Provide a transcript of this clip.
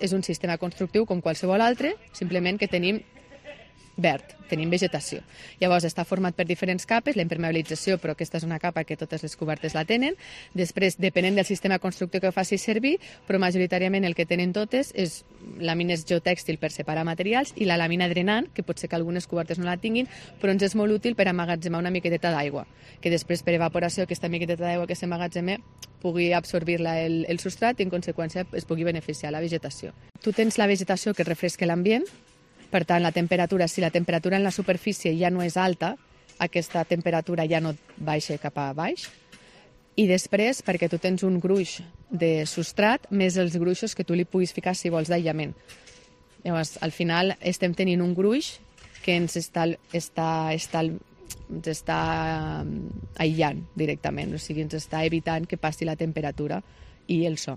és un sistema constructiu com qualsevol altre, simplement que tenim verd, tenim vegetació. Llavors està format per diferents capes, la impermeabilització, però aquesta és una capa que totes les cobertes la tenen. Després, depenent del sistema constructiu que faci servir, però majoritàriament el que tenen totes és làmines geotèxtil per separar materials i la làmina drenant, que pot ser que algunes cobertes no la tinguin, però ens és molt útil per emmagatzemar una miqueteta d'aigua, que després per evaporació aquesta miqueteta d'aigua que s'emmagatzema pugui absorbir-la el substrat i en conseqüència es pugui beneficiar la vegetació. Tu tens la vegetació que refresca l'ambient. Per tant, la temperatura, si la temperatura en la superfície ja no és alta, aquesta temperatura ja no baixa cap a baix. I després, perquè tu tens un gruix de substrat, més els gruixos que tu li puguis ficar, si vols, d'aïllament. Llavors, al final, estem tenint un gruix que ens està aïllant directament, o sigui, ens està evitant que passi la temperatura i el so.